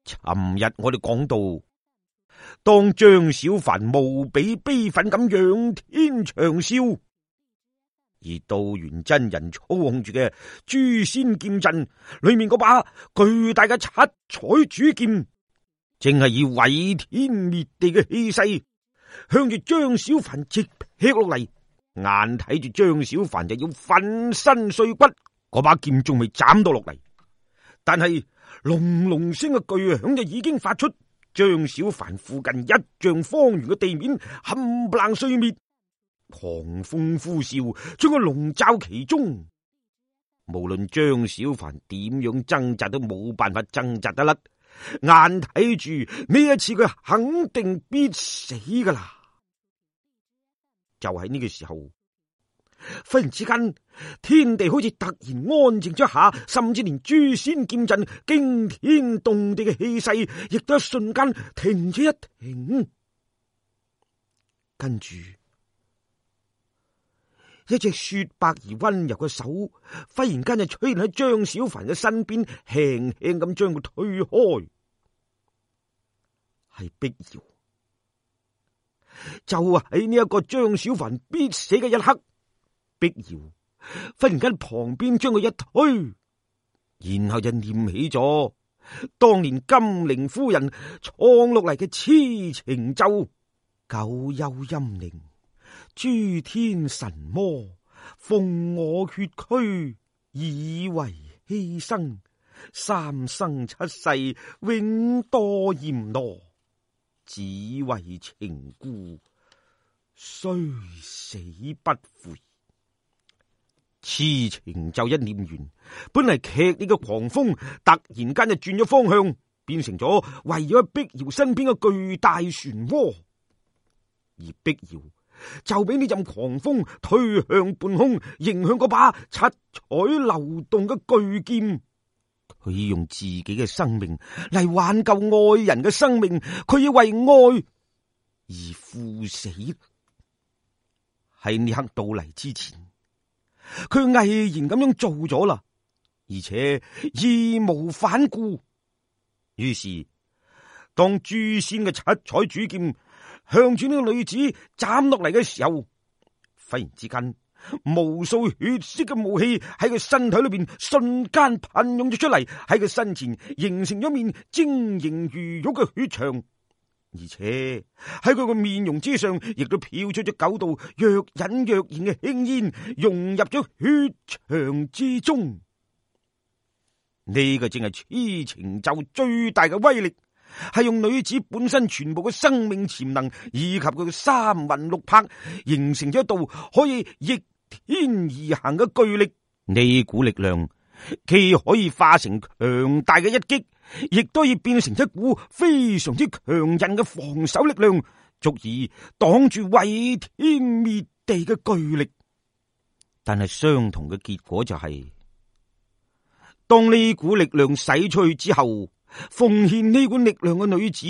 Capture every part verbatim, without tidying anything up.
尋日我哋講到，當張小凡無比悲憤咁仰天長嘯，而道元真人操控住嘅誅仙劍陣裏面嗰把巨大嘅七彩主劍，正係以毀天滅地嘅氣勢向住張小凡直劈落嚟。眼睇住張小凡就要粉身碎骨，嗰把劍仲未斬到落嚟，但係隆隆聲嘅巨響就已經發出，張小凡附近一丈方圓嘅地面冚唪唥碎滅，狂風呼嘯將佢籠罩其中。無論張小凡點樣掙扎都冇辦法掙扎得甩，眼睇住呢一次佢肯定必死噶啦。就喺呢個時候，忽然之間，天地好似突然安靜咗下，甚至連誅仙劍陣驚天動地嘅氣勢，亦都一瞬間停咗一停。跟住，一隻雪白而溫柔嘅手，忽然間就出現喺張小凡嘅身邊，輕輕咁將佢推開，係碧瑤。就喺呢一個張小凡必死嘅一刻，碧瑤忽然間旁邊將佢一推，然後就念起咗當年金陵夫人創落嚟嘅痴情咒：九幽陰靈，諸天神魔，奉我血軀以為犧牲，三生七世永多閻羅，只為情故，雖死不悔。痴情咒一念完，本嚟劇烈嘅狂風突然間就轉咗方向，變成咗圍繞喺碧瑤身邊嘅巨大漩渦，而碧瑤就俾呢陣狂風推向半空，迎向嗰把七彩流動嘅巨劍。佢用自己嘅生命嚟挽救愛人嘅生命，佢要為愛而赴死。喺呢刻到嚟之前，佢毅然咁樣做咗啦，而且義無反顧。於是，當誅仙嘅七彩主劍向住呢個女子斬落嚟嘅時候，忽然之間，無數血色嘅霧氣喺佢身體裏邊瞬間噴湧咗出嚟，喺佢身前形成咗面晶瑩如玉嘅血牆，而且喺佢個面容之上亦都飄出咗九道若隱若現嘅輕煙，融入咗血牆之中。呢個正係痴情咒最大嘅威力，係用女子本身全部嘅生命潛能以及佢嘅三魂六魄，形成咗一道可以逆天而行嘅巨力。呢股力量既可以化成強大嘅一擊，亦都可以變成一股非常之強韌嘅防守力量，足以擋住毀天滅地嘅巨力。但係相同嘅結果就係、是，當呢股力量使出去之後，奉獻呢股力量嘅女子，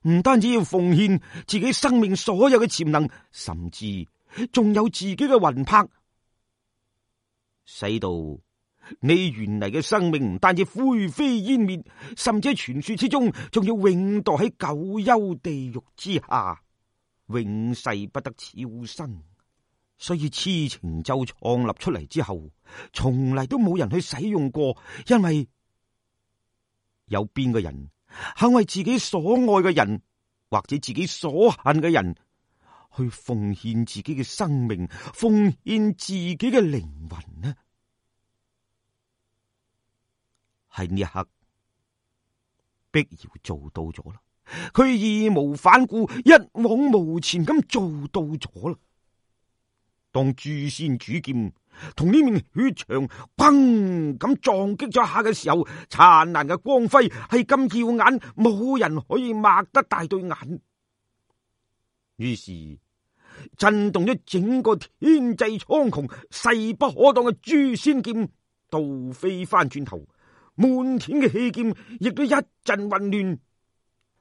唔單止要奉獻自己生命所有嘅潛能，甚至仲有自己嘅魂魄，使到你原嚟嘅生命唔單止灰飛煙滅，甚至喺傳說之中仲要永墮喺九幽地獄之下，永世不得超生。所以痴情咒創立出嚟之後，從嚟都冇人去使用過，因為有邊個人肯為自己所愛嘅人或者自己所恨嘅人去奉獻自己嘅生命，奉獻自己嘅靈魂呢？喺呢一刻，碧瑤做到咗啦，佢義無反顧、一往無前咁做到咗啦。當誅仙主劍同呢面血牆砰咁撞擊咗下嘅時候，燦爛嘅光輝係咁耀眼，冇人可以擘得大對眼。於是震動咗整個天際蒼穹、勢不可擋嘅誅仙劍倒飛翻轉頭，滿天嘅氣劍亦都一陣混亂，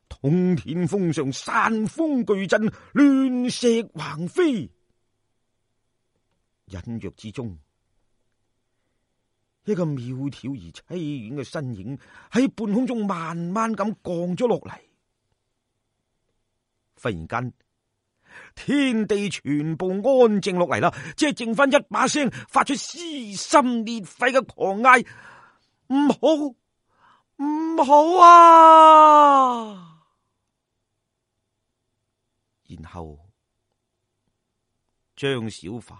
通天風上山風巨震，亂石橫飛。隱約之中，一個苗條而淒婉嘅身影喺半空中慢慢咁降咗落嚟。忽然間，天地全部安靜落嚟啦，只係剩翻一把聲發出撕心裂肺嘅狂嗌：唔好，唔好啊！然後張小凡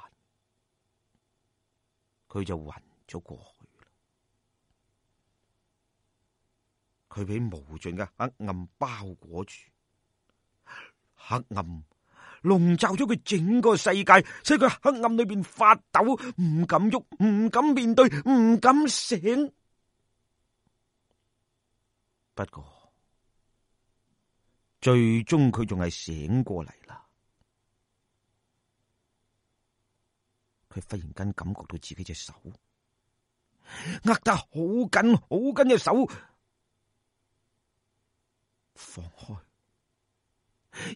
佢就暈咗過去啦。佢俾無盡嘅黑暗包裹住，黑暗籠罩咗佢整個世界，使佢黑暗裏邊發抖，唔敢喐，唔敢面對，唔敢醒。不過最終佢仲係醒過嚟啦。佢忽然間感覺到自己隻手握得好緊好緊嘅手放開，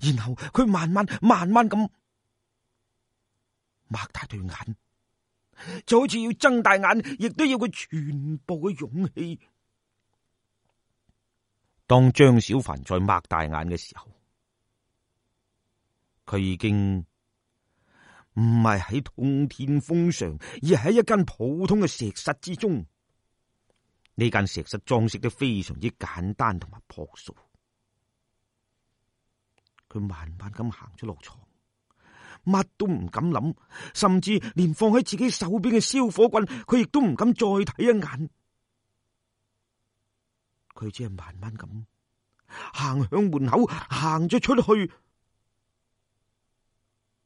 然後佢慢慢慢慢咁擘大對眼，就好似要睜大眼，亦都要佢全部嘅勇氣。當張小凡再擘大眼嘅時候，佢已經唔係喺通天峰上，而係喺一間普通嘅石室之中。呢間石室裝飾得非常之簡單同埋樸素。佢慢慢咁行咗落床，乜都唔敢諗，甚至連放喺自己手邊嘅燒火棍，佢亦都唔敢再睇一眼。佢只係慢慢咁行向門口，行咗出去。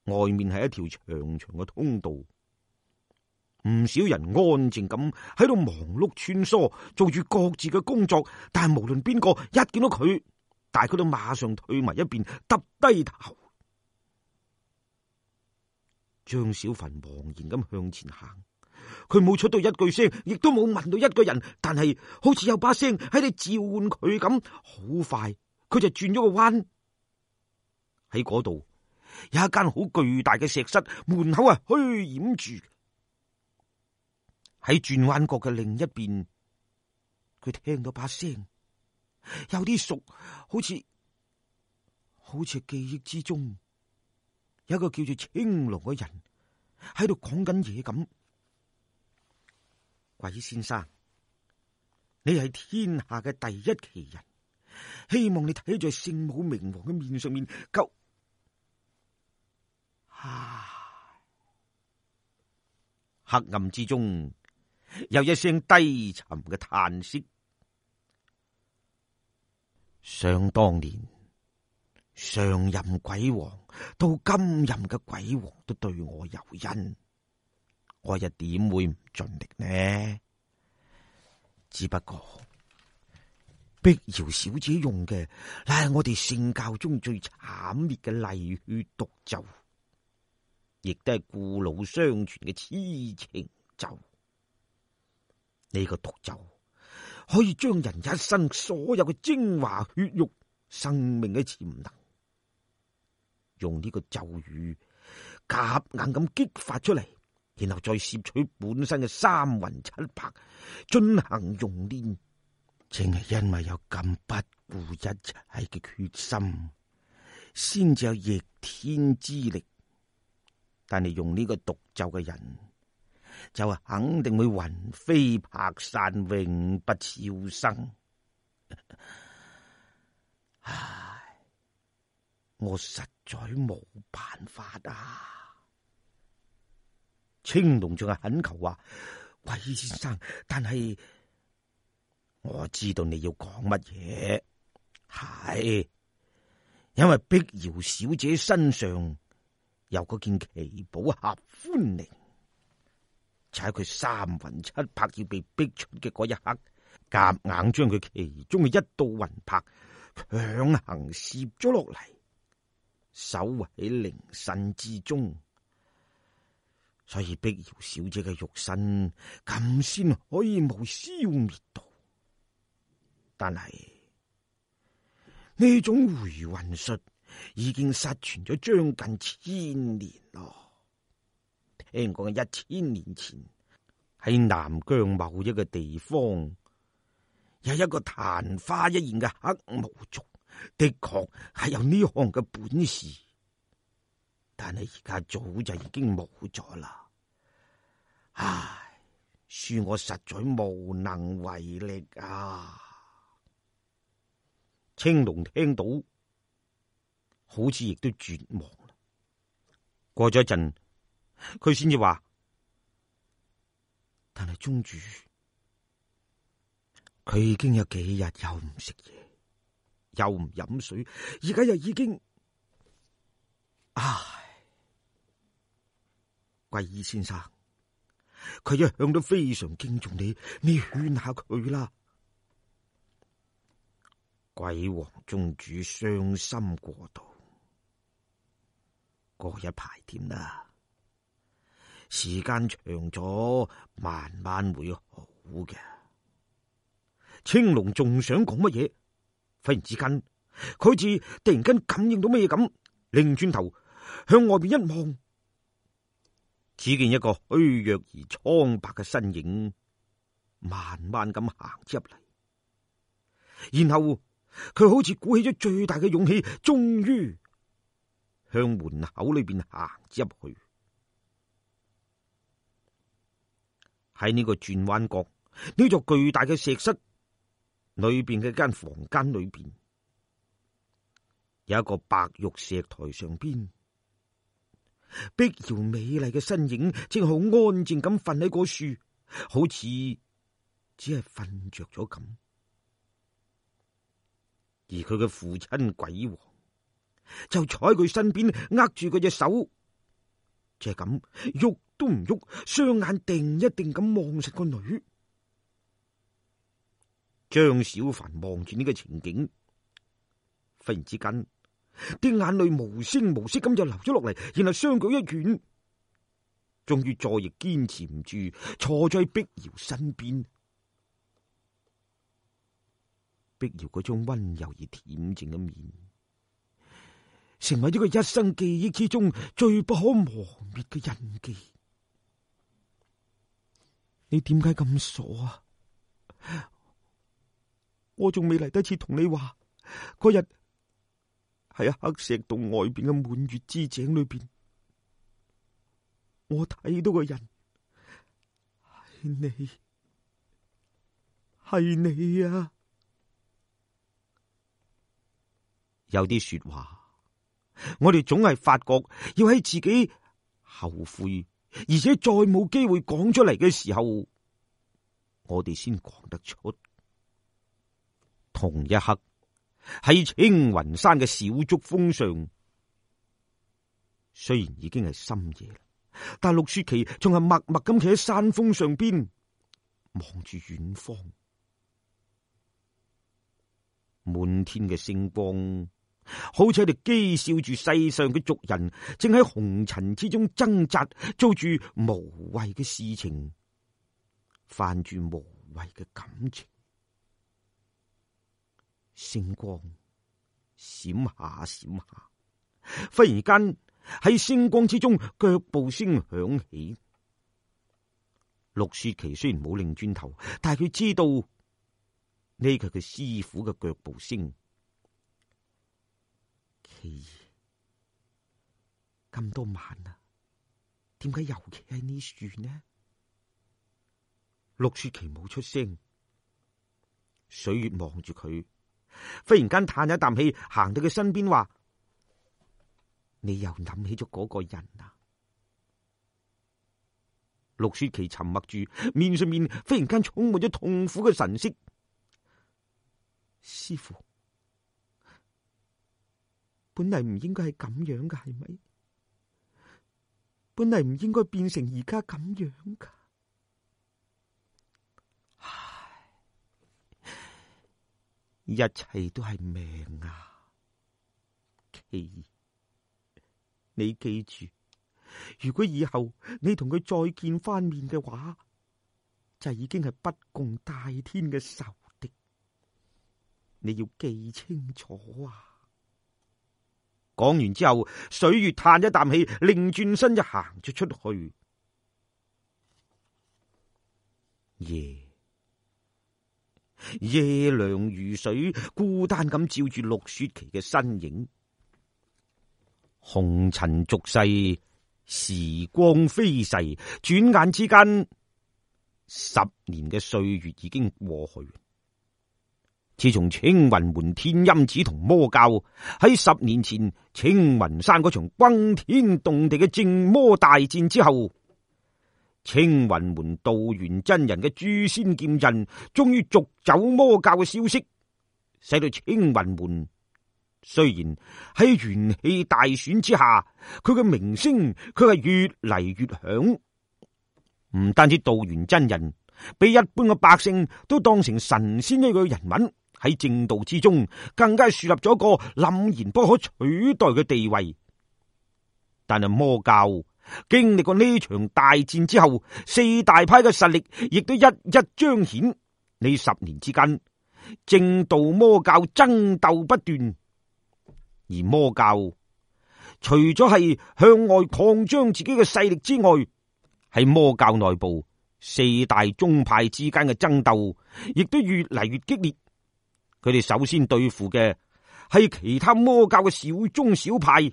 外面係一條長長嘅通道，唔少人安靜咁喺度忙碌穿梭，做住各自嘅工作。但係無論邊個一見到佢，大家都馬上退埋一邊，耷低頭。張小凡茫然咁向前行，佢冇出到一句聲，亦都冇問到一個人，但係好似有把聲喺度召喚佢咁。好快，佢就轉咗個彎，喺嗰度有一間好巨大嘅石室，門口係虛掩住。喺轉彎角嘅另一邊，佢聽到把聲，有啲熟，好似好似記憶之中有一個叫做青龍嘅人喺度講緊嘢咁。鬼先生，你係天下嘅第一奇人，希望你睇在聖母明王嘅面上面救。啊！黑暗之中有一聲低沉嘅嘆息。想當年，上任鬼王到今任嘅鬼王都對我有恩，我又點會唔盡力呢？只不過碧瑤小姐用嘅乃係我哋聖教中最慘烈嘅厲血毒咒，亦都係故老相傳嘅痴情咒。呢、這個毒咒可以將人一生所有嘅精華血肉、生命嘅潛能，用呢個咒語夾硬咁激發出嚟，然後再攝取本身嘅三魂七魄進行熔煉。正係因為有咁不顧一切嘅決心，先至有逆天之力。但係用呢個毒咒嘅人，就係肯定會魂飛魄散，永不超生。唉，我實在冇辦法啊！青龍仲係懇求話：鬼先生，但係我知道你要講乜嘢，係因為碧瑤小姐身上有嗰件奇寶合歡靈，就喺佢三魂七魄要被逼出嘅嗰一刻，夾硬將佢其中嘅一道魂魄強行攝咗落嚟，守喺靈身之中，所以碧瑤小姐嘅肉身咁先可以冇消滅到。但係呢種回魂術已經失傳咗將近千年咯。聽講一千年前喺南疆某一個地方，有一個曇花一現嘅黑毛族，的確係有呢項嘅本事，但係而家早就已經冇咗啦。唉，恕我實在無能為力啊！青龍聽到，好似亦都絕望啦。過咗一陣，佢先至話：但係宗主，佢已經有幾日又唔食嘢，又唔飲水，而家又已經……唉，貴醫先生，佢一向都非常敬重你，你勸下佢啦。鬼王宗主傷心過度，過一排添啦，時間長咗，慢慢會好嘅。青龍仲想講乜嘢，忽然之間，佢好似突然間感應到乜嘢咁，擰轉頭向外邊一望，只見一個虛弱而蒼白嘅身影，慢慢咁行入嚟，然後佢好似鼓起咗最大嘅勇氣，終於向門口裏邊行入去。喺呢個轉彎角，呢座巨大嘅石室裏邊嘅間房間裏邊，有一個白玉石台上邊，碧瑤美麗嘅身影正好安靜咁瞓喺嗰樹，好似只係瞓着咗咁。而佢嘅父親鬼王就坐喺佢身邊，握住佢隻手，就係咁喐都唔喐，雙眼定一定咁望實個女。張小凡望住呢個情景，忽然之間啲眼淚無聲無息咁就流咗落嚟，然後雙腳一軟，終於再亦堅持唔住，坐在碧瑤身邊。碧瑤嗰種溫柔而恬靜嘅面，成為咗佢一生記憶之中最不可磨滅嘅印記。你點解咁傻啊？我仲未嚟得切同你話，嗰日喺黑石洞外邊嘅滿月之井裏邊，我睇到個人係你，係你啊！有啲說話，我哋總係發覺要喺自己後悔，而且再冇機會講出嚟嘅時候，我哋先講得出。同一刻，喺青雲山嘅小竹峰上，雖然已經係深夜啦，但陸雪琪仲係默默咁企喺山峰上邊，望住遠方。滿天嘅星光，好似喺度譏笑住世上嘅族人，正喺紅塵之中掙扎，做住無謂嘅事情，犯住無謂嘅感情。星光閃下閃下，忽然間喺星光之中，腳步聲響起。陸雪琪雖然冇擰轉頭，但係佢知道呢個係佢師傅嘅腳步聲。琪兒，咁多晚啦，點解又企喺呢樹呢？陸雪琪冇出聲，水月望住佢，忽然間嘆一啖氣，行到佢身邊話：你又諗起咗嗰個人啊？陸雪琪沉默住，面上面忽然間充滿咗痛苦嘅神色。師父，本嚟唔應該係咁樣噶，係咪？本嚟唔應該變成而家咁樣噶。一切都係命啊！琪兒，你記住，如果以後你同佢再見翻面嘅話，就已經係不共戴天嘅仇敵。你要記清楚啊！講完之後，水月嘆一啖氣，擰轉身就行咗出去。夜夜涼如水，孤單咁照住陸雪琪嘅身影。紅塵俗世，時光飛逝，轉眼之間，十年嘅歲月已經過去。自從青雲門天音子同魔教喺十年前青雲山嗰場轟天動地嘅正魔大戰之後，青雲門道元真人嘅誅仙劍陣終於逐走魔教嘅消息，使到青雲門雖然喺元氣大損之下，佢嘅名聲佢係越嚟越響。唔單止道元真人被一般嘅百姓都當成神仙一個人物，喺正道之中更加樹立咗一個凜然不可取代嘅地位。但係魔教經歷過呢場大戰之後，四大派嘅實力亦都一一彰顯。呢十年之間，正道魔教爭鬥不斷，而魔教除咗係向外擴張自己嘅勢力之外，喺魔教內部四大宗派之間嘅爭鬥亦都越嚟越激烈。佢哋首先對付嘅係其他魔教嘅小宗小派，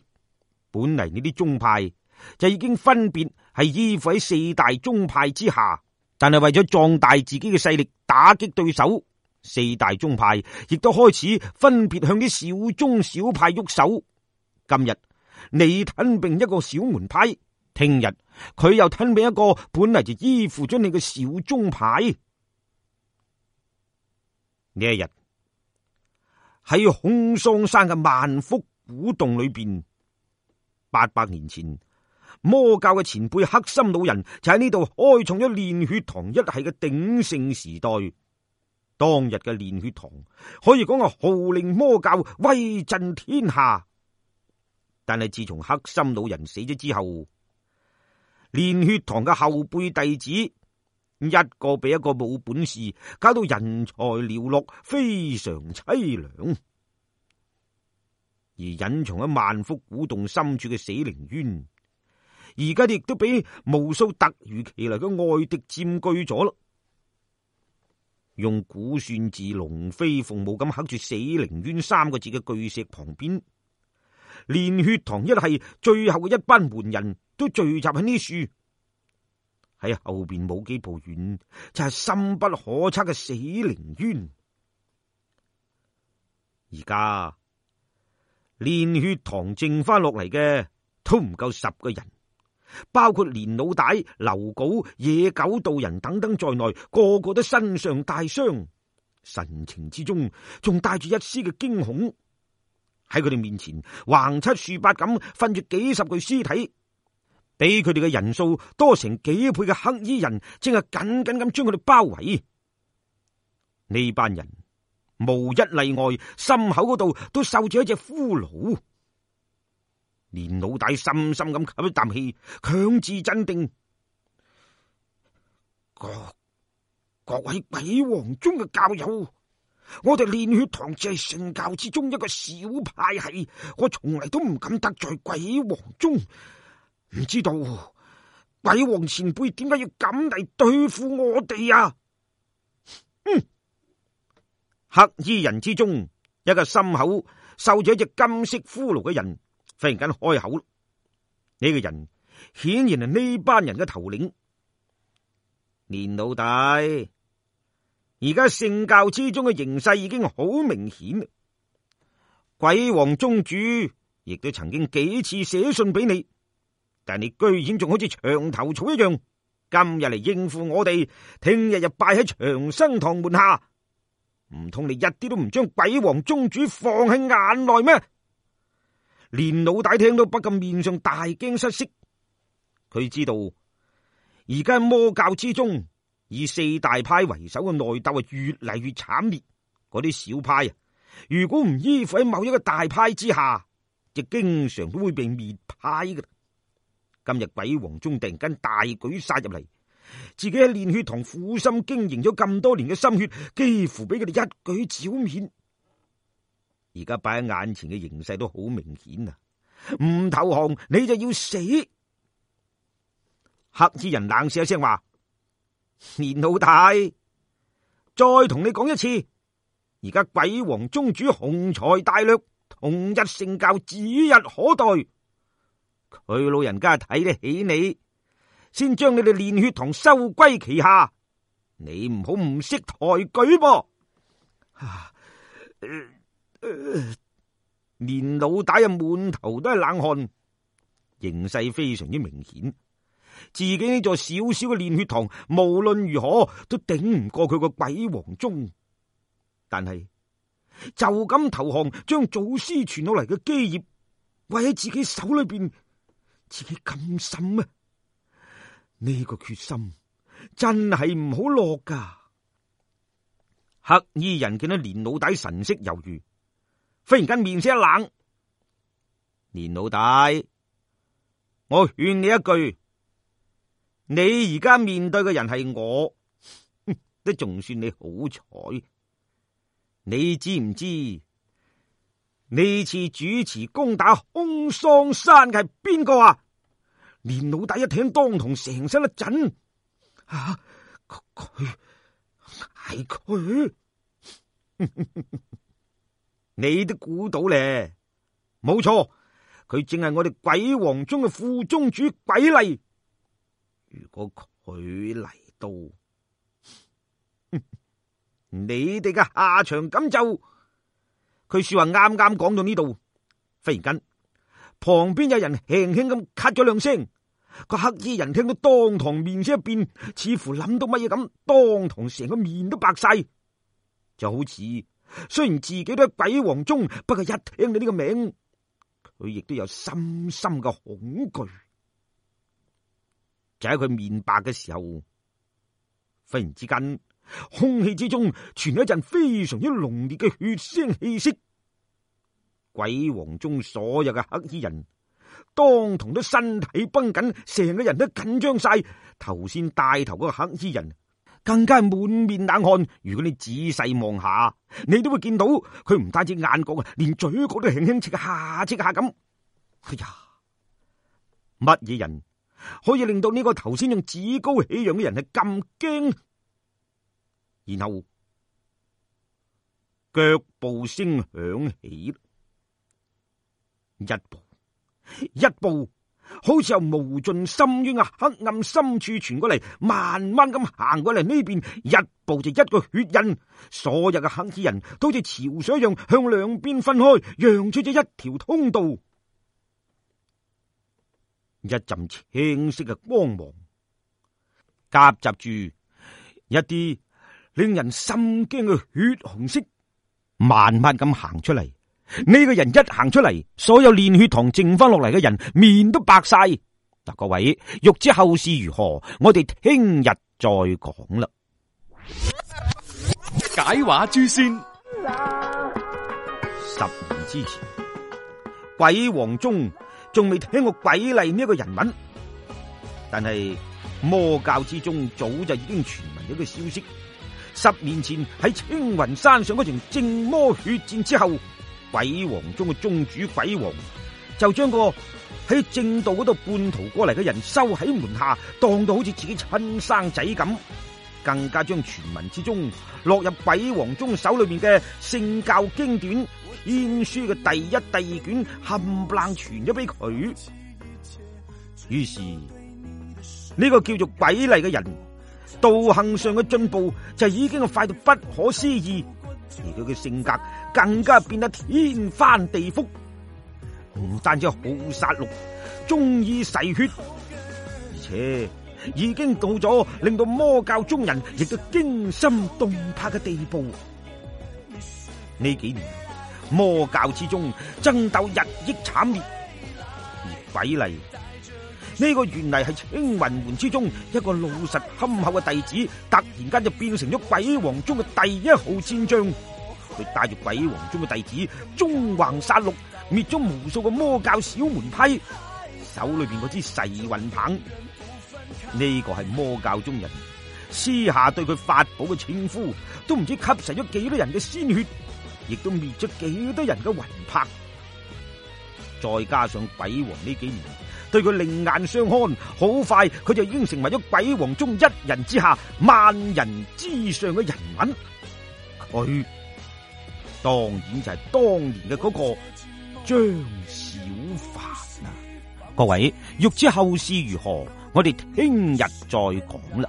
本嚟呢啲宗派就已經分別係依附喺四大宗派之下，但係為咗壯大自己嘅勢力，打擊對手，四大宗派亦都開始分別向啲小宗小派喐手。今日你吞併一個小門派，聽日佢又吞併一個本嚟就依附咗你嘅小宗派。呢一日喺空桑山嘅萬福古洞裏邊，八百年前魔教嘅前輩黑心老人就喺呢度開創咗煉血堂一系嘅鼎盛時代。當日嘅煉血堂可以講係號令魔教，威震天下。但係自從黑心老人死咗之後，煉血堂嘅後輩弟子一個比一個冇本事，搞到人才寥落，非常淒涼。而隱藏喺萬福古洞深處嘅死靈淵，而家亦都俾無數突如其來嘅外敵佔據咗啦。用古算字龍飛鳳舞咁刻住死靈淵三個字嘅巨石旁邊，煉血堂一系最後嘅一班門人都聚集喺呢處。喺後邊冇幾步遠就係、是、深不可測嘅死靈淵。而家煉血堂剩翻落嚟嘅都唔夠十個人，包括連老大、劉稿、野狗道人等等在內，個個都身上帶傷，神情之中仲帶住一絲嘅驚恐。喺佢哋面前橫七豎八咁瞓住幾十具屍體，比佢哋嘅人數多成幾倍嘅黑衣人正係緊緊咁將佢哋包圍。呢班人無一例外，心口嗰度都繡住一隻骷髏。連老大深深咁吸一啖氣，強自鎮定。各各位鬼王宗嘅教友，我哋煉血堂只係聖教之中一個小派系，我從嚟都唔敢得罪鬼王宗。唔知道鬼王前輩點解要咁嚟對付我哋啊？嗯，黑衣人之中一個心口繡住一隻金色骷髏嘅人忽然間開口。呢、這個人顯然係呢班人嘅頭領。連老大，而家聖教之中嘅形勢已經好明顯，鬼王宗主亦都曾經幾次寫信俾你，但你居然仲好似牆頭草一樣，今日嚟應付我哋，聽日又拜喺長生堂門下，唔通你一啲都唔將鬼王宗主放喺眼內咩？連老大聽到不禁面上大驚失色，佢知道而家魔教之中以四大派為首嘅內鬥係越嚟越慘烈，嗰啲小派啊，如果唔依附喺某一個大派之下，就經常都會被滅派噶。今日鬼王宗突然間大舉殺入嚟，自己喺煉血堂苦心經營咗咁多年嘅心血，幾乎俾佢哋一舉剿滅。而家擺喺眼前嘅形勢都好明顯啊！唔投降你就要死。黑衣人冷笑一聲話：連老大，再同你講一次，而家鬼王宗主雄才大略，同日成教，指日可待。佢老人家睇得起你，先將你哋練血堂收歸旗下，你唔好唔識抬舉噃。啊呃呃、連老大啊，滿頭都係冷汗，形勢非常之明顯，自己呢座小小嘅練血堂，無論如何都頂唔過佢個鬼王宗。但係就咁投降，將祖師傳落嚟嘅基業為喺自己手裏邊，自己咁心啊！呢個決心真係唔好落噶。黑衣人見到連老大神色猶豫，忽然間面色一冷。連老大，我勸你一句，你而家面對嘅人係我，都仲算你好彩。你知唔知呢次主持攻打空桑山嘅係邊個啊？連老大一聽，當堂成身一震。啊，佢係佢，你都估到咧，冇錯，佢正係我哋鬼王宗嘅副宗主鬼厲。如果佢嚟到，你哋嘅下場咁就……佢說話啱啱講到呢度，忽然間旁邊有人輕輕咁咳咗兩聲，個黑衣人聽到當堂面色一變，似乎諗到乜嘢咁，當堂成個面都白晒，就好似雖然自己都係鬼王宗，不過一聽到呢個名，佢亦都有深深嘅恐懼。就喺佢面白嘅時候，忽然之間空氣之中傳嚟一陣非常之濃烈嘅血腥氣息。鬼王宗所有嘅黑衣人當堂都身體繃緊，成個人都緊張晒。頭先帶頭嗰個黑衣人更加係滿面冷汗。如果你仔細望下，你都會見到佢唔單止眼角啊，連嘴角都輕輕戚下戚下咁。哎呀，乜嘢人可以令到呢個頭先用趾高氣揚嘅人係咁驚？然後腳步聲響起，一步一步，好似由無盡深淵嘅黑暗深處傳過嚟，慢慢咁行過嚟呢邊，一步就一個血印。所有嘅黑衣人都好似潮水一樣向兩邊分開，讓出咗一條通道。一陣青色嘅光芒夾雜住一啲令人心驚嘅血紅色，慢慢咁行出嚟。呢個人一行出嚟，所有練血堂剩翻落嚟嘅人面都白晒。嗱，各位欲知後事如何，我哋聽日再講啦。解話誅仙。十年之前，鬼王宗仲未聽過鬼厲呢一個人物，但係魔教之中早就已經傳聞咗個消息。十年前喺青雲山上嗰場正魔血戰之後，鬼王宗嘅宗主鬼王就將個喺正道嗰度叛逃過嚟嘅人收喺門下，當到好似自己親生仔咁，更加將傳聞之中落入鬼王宗手裏面嘅聖教經典天書嘅第一、第二卷冚唪唥傳咗俾佢。於是呢個叫做鬼厲嘅人道行上嘅進步就已經係快到不可思議，而佢嘅性格更加變得天翻地覆，唔單止好殺戮，中意噬血，而且已經到咗令到魔教中人亦都驚心動魄嘅地步。呢幾年魔教之中爭鬥日益慘烈，而鬼厲呢個原嚟係青雲門之中一個老實憨厚嘅弟子，突然間就變成咗鬼王宗嘅第一號戰將。佢帶住鬼王宗嘅弟子縱橫殺戮，滅咗無數個魔教小門派，手裏邊嗰支噬魂棒，呢個係魔教中人私下對佢發寶嘅稱呼，都唔知吸噬咗幾多人嘅鮮血，亦都滅咗幾多人嘅魂魄。再加上鬼王呢幾年對佢另眼相看，好快佢就已經成為咗鬼王中一人之下、萬人之上嘅人物。佢當然就係當年嘅嗰個張小凡啊！各位欲知後事如何，我哋聽日再講啦。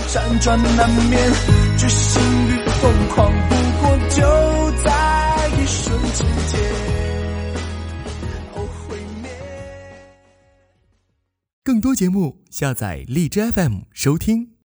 輾轉難眠，決心與瘋狂，不過就在一瞬之間。更多節目下載荔枝 F M 收聽。